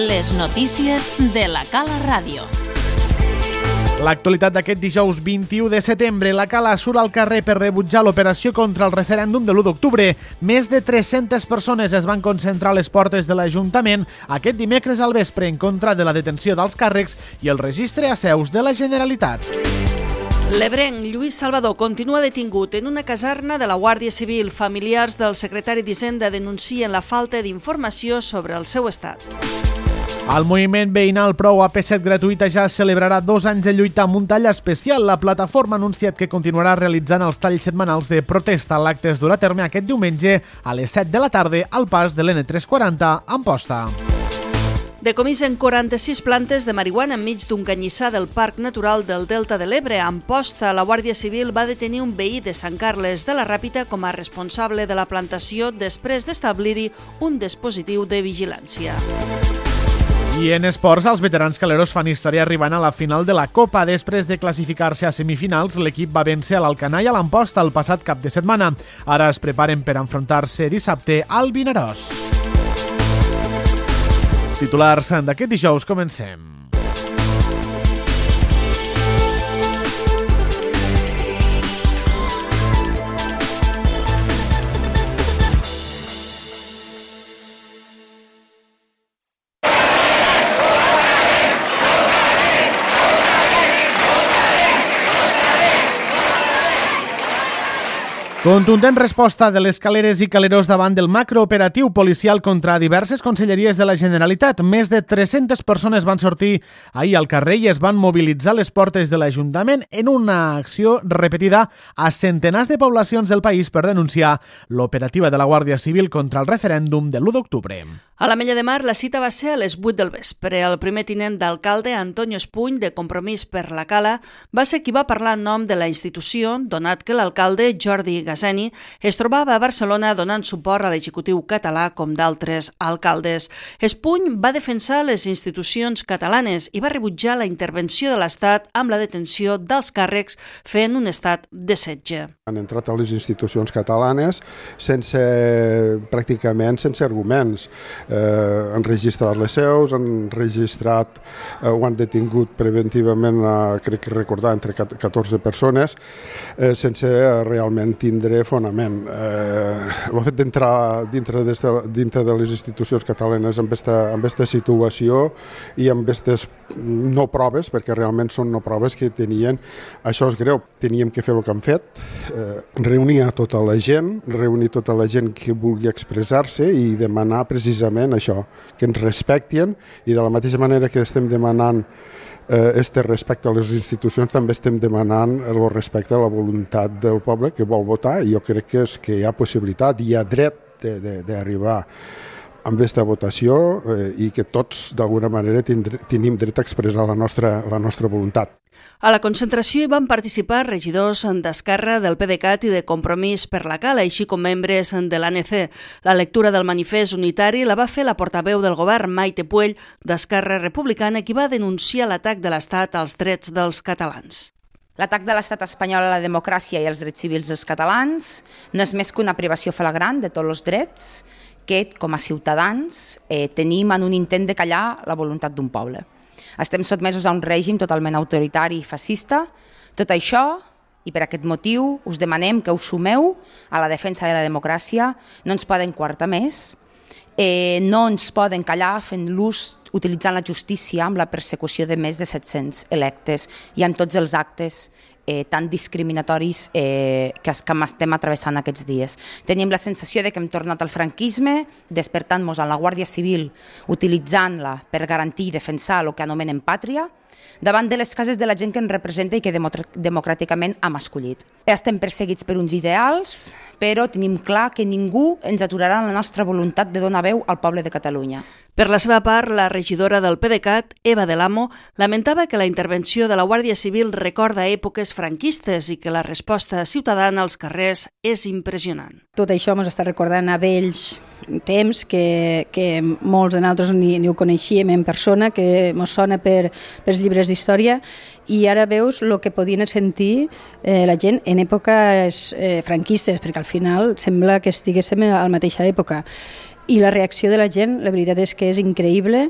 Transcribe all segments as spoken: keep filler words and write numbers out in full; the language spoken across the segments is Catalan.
Les notícies de la Cala Ràdio. L'actualitat d'aquest dijous vint-i-u de setembre. La Cala surt al carrer per rebutjar l'operació contra el referèndum de l'u d'octubre. Més de tres-centes persones es van concentrar a les portes de l'Ajuntament aquest dimecres al vespre en contra de la detenció dels càrrecs i el registre a seus de la Generalitat. L'ebrenc Lluís Salvador continua detingut en una caserna de la Guàrdia Civil. Familiars del secretari d'Hisenda denuncien la falta d'informació sobre el seu estat. El moviment veïnal Prou A P set gratuïta ja celebrarà dos anys de lluita amb un tall especial. La plataforma ha anunciat que continuarà realitzant els talls setmanals de protesta. L'acte es durà a terme aquest diumenge a les set de la tarda al pas de l'N tres quaranta a Amposta. Decomisen quaranta-sis plantes de marihuana enmig d'un canyissar del Parc Natural del Delta de l'Ebre. A Amposta, la Guàrdia Civil va detenir un veí de Sant Carles de la Ràpita com a responsable de la plantació després d'establir-hi un dispositiu de vigilància. I en esports, els veterans caleros fan història arribant a la final de la Copa. Després de classificar-se a semifinals, l'equip va vèncer a l'Alcanar i a l'Amposta el passat cap de setmana. Ara es preparen per enfrontar-se dissabte al Vinaròs. Titulars d'aquest dijous, comencem. Contundent resposta de les caleres i caleros davant del macrooperatiu policial contra diverses conselleries de la Generalitat. Més de tres-centes persones van sortir ahir al carrer i es van mobilitzar a les portes de l'Ajuntament en una acció repetida a centenars de poblacions del país per denunciar l'operativa de la Guàrdia Civil contra el referèndum de l'u d'octubre. A l'Ametlla de Mar, la cita va ser a les vuit del vespre. El primer tinent d'alcalde, Antonio Espuny, de Compromís per la Cala, va ser qui va parlar en nom de la institució, donat que l'alcalde, Jordi Gaseni, es trobava a Barcelona donant suport a l'executiu català com d'altres alcaldes. Espuny va defensar les institucions catalanes i va rebutjar la intervenció de l'Estat amb la detenció dels càrrecs fent un estat de setge. Han entrat a les institucions catalanes sense, pràcticament sense arguments. Eh, han registrat les seus, han registrat, eh, ho han detingut preventivament, eh, crec que recordar, entre catorze persones, eh, sense realment tindre fonament. Eh, el fet d'entrar dintre, de, dintre de les institucions catalanes amb aquesta, amb aquesta situació i amb aquestes no proves, perquè realment són no proves que tenien, això és greu. Teníem que fer el que han fet, eh, reunir a tota la gent, reunir tota la gent que vulgui expressar-se i demanar precisament això, que ens respectin, i de la mateixa manera que estem demanant este respecte a les institucions, també estem demanant el respecte a la voluntat del poble que vol votar, i jo crec que, és que hi ha possibilitat, hi ha dret d'arribar amb aquesta votació eh, i que tots d'alguna manera tenim dret a expressar la nostra, la nostra voluntat. A la concentració hi van participar regidors d'Esquerra, del P D C A T i de Compromís per la Cala, així com membres de l'A N C. La lectura del manifest unitari la va fer la portaveu del govern, Maite Puell, d'Esquerra Republicana, qui va denunciar l'atac de l'Estat als drets dels catalans. L'atac de l'estat espanyol a la democràcia i als drets civils dels catalans no és més que una privació flagrant de tots els drets que, com a ciutadans, eh, tenim en un intent de callar la voluntat d'un poble. Estem sotmesos a un règim totalment autoritari i fascista. Tot això, i per aquest motiu, us demanem que us sumeu a la defensa de la democràcia. No ens poden coartar més, eh, no ens poden callar fent l'ús, utilitzant la justícia amb la persecució de més de set-cents electes i amb tots els actes Eh, tan discriminatoris eh, que, que estem atravessant aquests dies. Tenim la sensació de que hem tornat al franquisme, despertant-nos en la Guàrdia Civil, utilitzant-la per garantir i defensar el que anomenem pàtria, davant de les cases de la gent que ens representa i que democràticament hem escollit. Estem perseguits per uns ideals, però tenim clar que ningú ens aturarà en la nostra voluntat de donar veu al poble de Catalunya. Per la seva part, la regidora del P D C A T, Eva Del Amo, lamentava que la intervenció de la Guàrdia Civil recorda èpoques franquistes i que la resposta ciutadana als carrers és impressionant. Tot això ens està recordant a vells temps que, que molts de nosaltres ni, ni ho coneixíem en persona, que ens sona per, per llibres d'història, i ara veus el que podien sentir eh, la gent en èpoques eh, franquistes, perquè al final sembla que estiguéssim a la mateixa època. I la reacció de la gent, la veritat és que és increïble,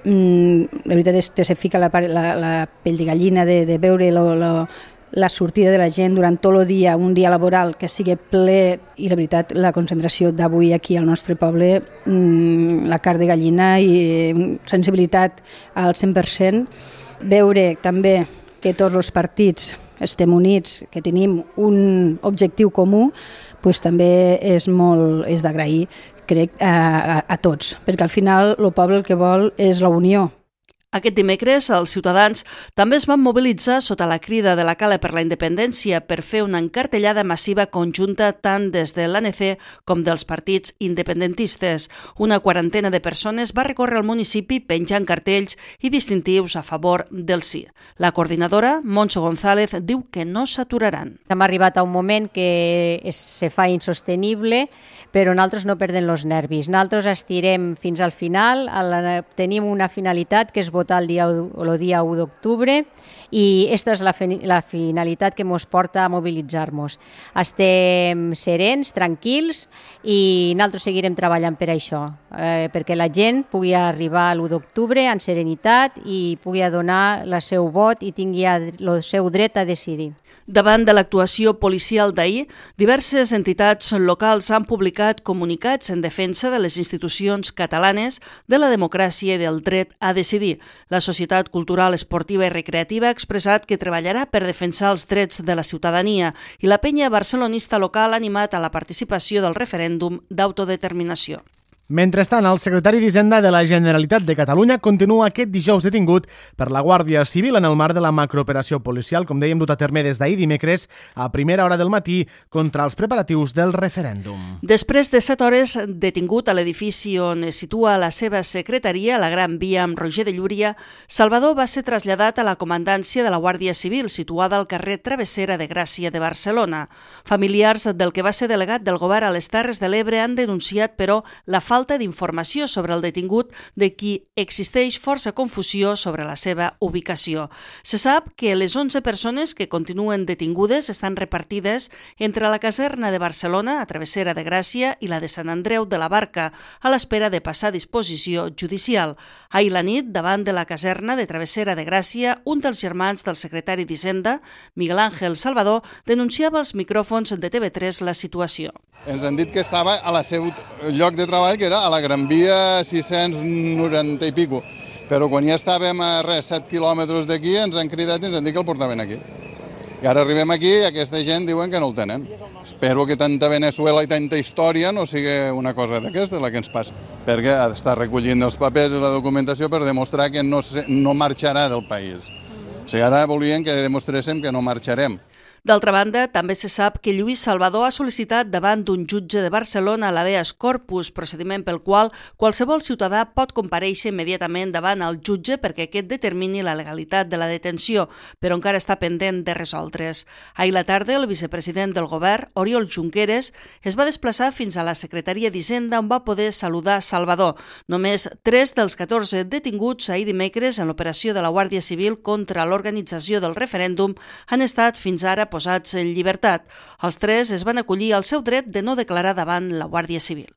mm, la veritat és que se fica la, la, la pell de gallina de, de veure lo, lo, la sortida de la gent durant tot el dia, un dia laboral que sigui ple, i la veritat, la concentració d'avui aquí al nostre poble, mmm, la carn de gallina i sensibilitat al cent per cent. Veure també que tots els partits estem units, que tenim un objectiu comú, pues també és molt és d'agrair, crec, a, a, a tots, perquè al final el poble el que vol és la unió. Aquest dimecres, els ciutadans també es van mobilitzar sota la crida de la Cala per la Independència per fer una encartellada massiva conjunta tant des de l'A N C com dels partits independentistes. Una quarantena de persones va recórrer el municipi penjant cartells i distintius a favor del sí. La coordinadora, Montse González, diu que no s'aturaran. Hem arribat a un moment que es, se fa insostenible, però nosaltres no perdem els nervis. Nosaltres estirem fins al final, la, tenim una finalitat que és votar el dia, el dia u d'octubre i aquesta és la, la finalitat que ens porta a mobilitzar-nos. Estem serens, tranquils i nosaltres seguirem treballant per això, eh, perquè la gent pugui arribar l'u d'octubre en serenitat i pugui donar el seu vot i tingui el seu dret a decidir. Davant de l'actuació policial d'ahir, diverses entitats locals han publicat comunicats en defensa de les institucions catalanes, de la democràcia i del dret a decidir. La Societat Cultural, Esportiva i Recreativa ha expressat que treballarà per defensar els drets de la ciutadania i la penya barcelonista local ha animat a la participació del referèndum d'autodeterminació. Mentrestant, el secretari d'Hisenda de la Generalitat de Catalunya continua aquest dijous detingut per la Guàrdia Civil en el marc de la macrooperació policial, com dèiem, dut a terme des d'ahir dimecres a primera hora del matí contra els preparatius del referèndum. Després de set hores detingut a l'edifici on es situa la seva secretaria, la Gran Via amb Roger de Llúria, Salvador va ser traslladat a la comandància de la Guàrdia Civil, situada al carrer Travessera de Gràcia de Barcelona. Familiars del que va ser delegat del govern a les Terres de l'Ebre han denunciat, però, la falta d'informació sobre el detingut, de qui existeix força confusió sobre la seva ubicació. Se sap que les onze persones que continuen detingudes estan repartides entre la caserna de Barcelona, a Travessera de Gràcia, i la de Sant Andreu de la Barca, a l'espera de passar a disposició judicial. Ahir la nit, davant de la caserna de Travessera de Gràcia, un dels germans del secretari d'Hisenda, Miguel Ángel Salvador, denunciava als micròfons de T V tres la situació. Ens han dit que estava a la seu lloc de treball, que era a la Gran Via sis-cents noranta i pico. Però quan ja estàvem a res, set quilòmetres d'aquí, ens han cridat i ens han dit que el portaven aquí. I ara arribem aquí i aquesta gent diuen que no el tenen. Espero que tanta Venezuela i tanta història no sigui una cosa d'aquesta la que ens passa. Perquè ha d'estar recollint els papers i la documentació per demostrar que no, no marxarà del país. O sigui, ara volien que demostréssim que no marxarem. D'altra banda, també se sap que Lluís Salvador ha sol·licitat davant d'un jutge de Barcelona l'habeas corpus, procediment pel qual qualsevol ciutadà pot comparèixer immediatament davant el jutge perquè aquest determini la legalitat de la detenció, però encara està pendent de resoldre's. Ahir la tarda, el vicepresident del govern, Oriol Junqueras, es va desplaçar fins a la Secretaria d'Hisenda on va poder saludar Salvador. Només tres dels catorze detinguts ahir dimecres en l'operació de la Guàrdia Civil contra l'organització del referèndum han estat fins ara posats en llibertat. Els tres es van acollir al seu dret de no declarar davant la Guàrdia Civil.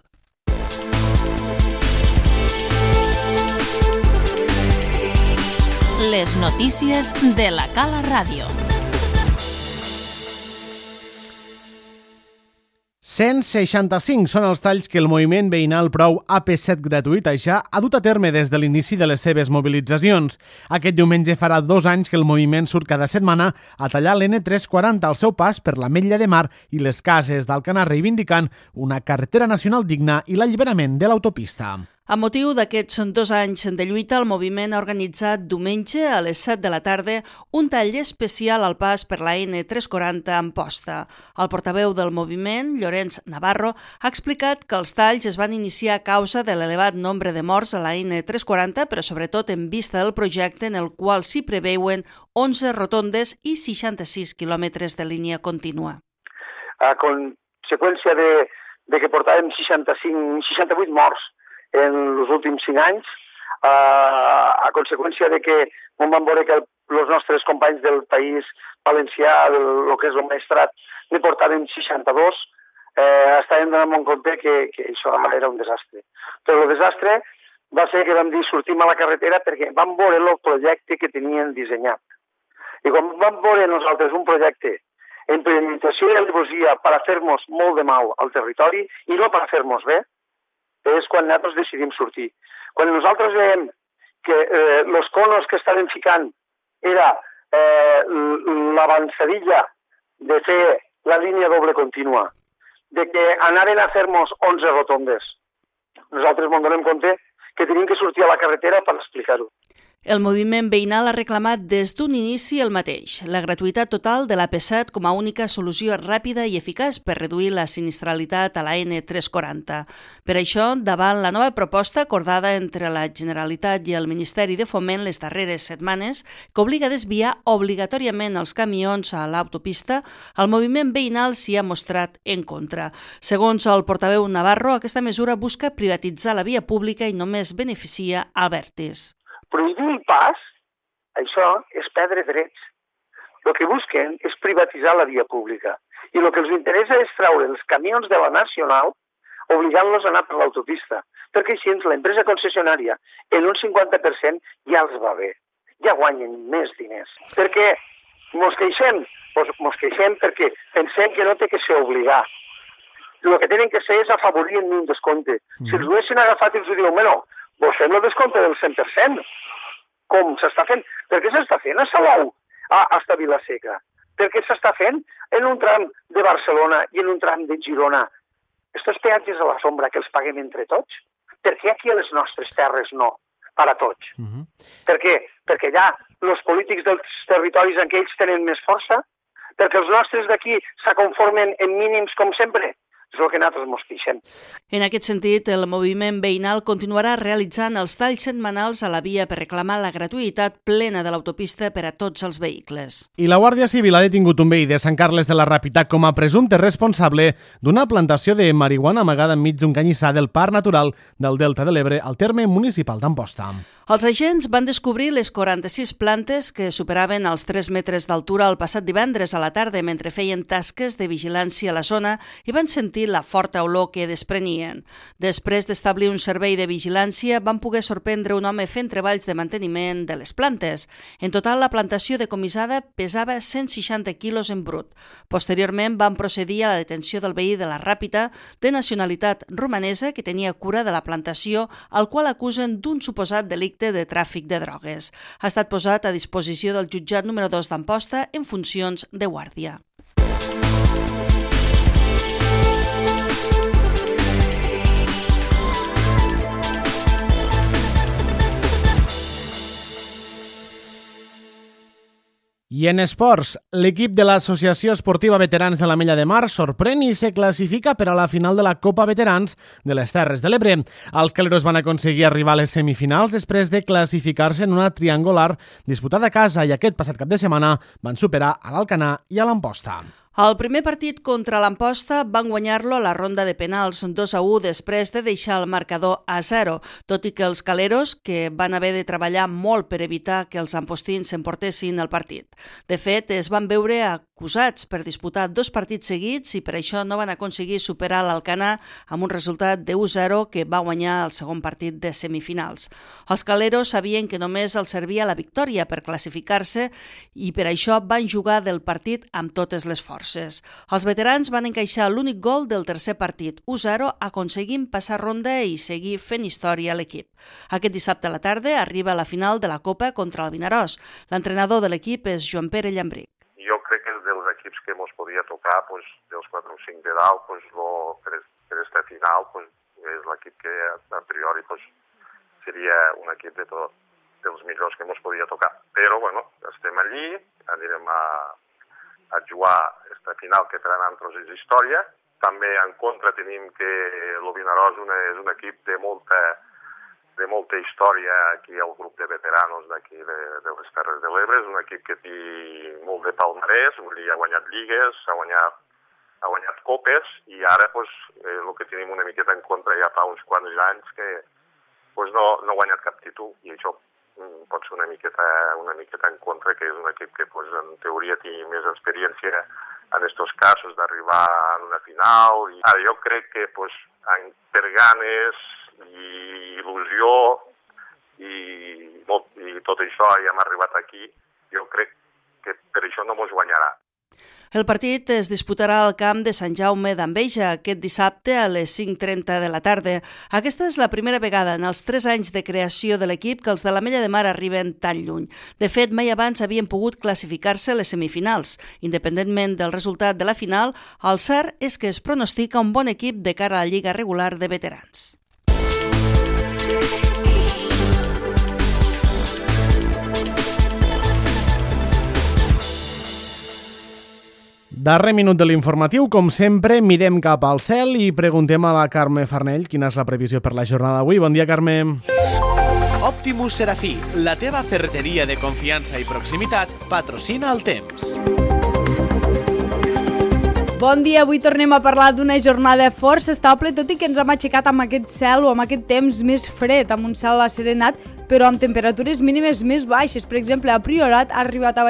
Les notícies de la Cala Ràdio. cent seixanta-cinc són els talls que el moviment veïnal Prou A P set gratuït ja ha dut a terme des de l'inici de les seves mobilitzacions. Aquest diumenge farà dos anys que el moviment surt cada setmana a tallar l'N tres quaranta al seu pas per l'Ametlla de Mar i les Cases d'Alcanar, reivindicant una carretera nacional digna i l'alliberament de l'autopista. A motiu d'aquests dos anys de lluita, el moviment ha organitzat diumenge a les set de la tarda un tall especial al pas per la N tres quaranta a Amposta. El portaveu del moviment, Llorenç Navarro, ha explicat que els talls es van iniciar a causa de l'elevat nombre de morts a la N tres quaranta, però sobretot en vista del projecte en el qual s'hi preveuen onze rotondes i seixanta-sis quilòmetres de línia contínua. A conseqüència de, de que portàvem seixanta-cinc, seixanta-vuit morts en els últims cinc anys, eh, a conseqüència de que on vam veure que els nostres companys del país valencià, del que és el maestrat, ne portaven seixanta-dos, eh, estàvem donant en compte que, que això era un desastre. Però el desastre va ser que vam dir sortim a la carretera perquè vam veure el projecte que tenien dissenyat. I quan vam veure nosaltres un projecte en premeditació i alevosía per a fer-nos molt de mal al territori i no per a fer-nos bé, és quan nosaltres decidim sortir. Quan nosaltres veiem que eh, els conos que estaven ficant era eh, l'avançadilla de fer la línia doble contínua, de que anaven a fer-nos onze rotondes, nosaltres ens donem compte que tenim que sortir a la carretera per explicar-ho. El moviment veïnal ha reclamat des d'un inici el mateix, la gratuïtat total de l'A P set com a única solució ràpida i eficaç per reduir la sinistralitat a la N tres cents quaranta. Per això, davant la nova proposta acordada entre la Generalitat i el Ministeri de Foment les darreres setmanes, que obliga a desviar obligatòriament els camions a l'autopista, el moviment veïnal s'hi ha mostrat en contra. Segons el portaveu Navarro, aquesta mesura busca privatitzar la via pública i només beneficia Albertis. Prohibir el pas, això és perdre drets. El que busquen és privatitzar la via pública. I el que els interessa és treure els camions de la Nacional obligant-los a anar per l'autopista. Perquè així l'empresa concessionària en un cinquanta per cent ja els va bé. Ja guanyen més diners. Perquè mos queixem? Doncs mos queixem perquè pensem que no té que ser obligat. El que tenen que ser és afavorir en un descompte. Mm. Si els haguessin agafat i els diuen, bueno, vos fem el descompte del cent per cent. Com s'està fent? Per què s'està fent a Salou, a, a Vilaseca? Per què s'està fent en un tram de Barcelona i en un tram de Girona? Estos peatges a la sombra que els paguem entre tots? Per què aquí a les nostres terres no? Per a tots. Uh-huh. Per què? Perquè allà els polítics dels territoris en què ells tenen més força? Perquè els nostres d'aquí s'aconformen en mínims com sempre? És el que nosaltres mos queixem. En aquest sentit, el moviment veïnal continuarà realitzant els talls setmanals a la via per reclamar la gratuïtat plena de l'autopista per a tots els vehicles. I la Guàrdia Civil ha detingut un veí de Sant Carles de la Ràpita com a presumpte responsable d'una plantació de marihuana amagada enmig d'un canyissar del Parc Natural del Delta de l'Ebre al terme municipal d'Amposta. Els agents van descobrir les quaranta-sis plantes que superaven els tres metres d'altura el passat divendres a la tarda mentre feien tasques de vigilància a la zona i van sentir la forta olor que desprenien. Després d'establir un servei de vigilància, van poder sorprendre un home fent treballs de manteniment de les plantes. En total, la plantació decomissada pesava cent seixanta quilos en brut. Posteriorment, van procedir a la detenció del veí de la Ràpita, de nacionalitat romanesa, que tenia cura de la plantació, al qual acusen d'un suposat delicte de tràfic de drogues. Ha estat posat a disposició del jutjat número dos d'Amposta en funcions de guàrdia. I en esports, l'equip de l'Associació Esportiva Veterans de l'Ametlla de Mar sorprèn i se classifica per a la final de la Copa Veterans de les Terres de l'Ebre. Els caleros van aconseguir arribar a les semifinals després de classificar-se en una triangular disputada a casa i aquest passat cap de setmana van superar a l'Alcanar i a l'Amposta. El primer partit contra l'Amposta van guanyar-lo a la ronda de penals dos a u després de deixar el marcador a zero, tot i que els caleros, que van haver de treballar molt per evitar que els ampostins s'emportessin el partit. De fet, es van veure acusats per disputar dos partits seguits i per això no van aconseguir superar l'Alcanar amb un resultat de u a zero que va guanyar el segon partit de semifinals. Els caleros sabien que només els servia la victòria per classificar-se i per això van jugar del partit amb totes les forces. Els veterans van encaixar l'únic gol del tercer partit, u a zero, aconseguint passar ronda i seguir fent història a l'equip. Aquest dissabte a la tarda arriba a la final de la Copa contra el Vinaròs. L'entrenador de l'equip és Joan Pere Llambric. Jo crec que dels equips que ens podia tocar, pues, dels quatre o cinc de dalt, pues, lo, per, per esta final, pues, és l'equip que a priori pues, seria un equip de tot, dels millors que ens podia tocar. Però, bueno, estem allí, anirem a a jugar aquesta final que per a nosaltres és història. També en contra tenim que el Vinaròs és un equip de molta, de molta història aquí al grup de veteranos d'aquí de, de les Terres de l'Ebre. És un equip que té molt de palmarès, vull dir, ha guanyat lligues, ha guanyat, ha guanyat copes i ara pues, eh, el que tenim una miqueta en contra ja fa uns quants anys que pues, no, no ha guanyat cap títol i això pot ser una miqueta, una miqueta en contra, que és un equip que pues, en teoria té més experiència en aquests casos d'arribar a una final. I ara jo crec que pues, per ganes i il·lusió tot això i hem arribat aquí, jo crec que per això no mos guanyarà. El partit es disputarà al camp de Sant Jaume d'Enveja aquest dissabte a les cinc trenta de la tarda. Aquesta és la primera vegada en els tres anys de creació de l'equip que els de l'Ametlla de Mar arriben tan lluny. De fet, mai abans havien pogut classificar-se a les semifinals. Independentment del resultat de la final, el cert és que es pronostica un bon equip de cara a la Lliga regular de veterans. Darrer minut de l'informatiu, com sempre, mirem cap al cel i preguntem a la Carme Farnell quina és la previsió per la jornada d'avui. Bon dia, Carme. Optimus Serafí, la teva ferreteria de confiança i proximitat, patrocina el temps. Bon dia, avui tornem a parlar d'una jornada força estable, tot i que ens hem aixecat amb aquest cel o amb aquest temps més fred, amb un cel asserenat, però amb temperatures mínimes més baixes. Per exemple, a Priorat ha arribat a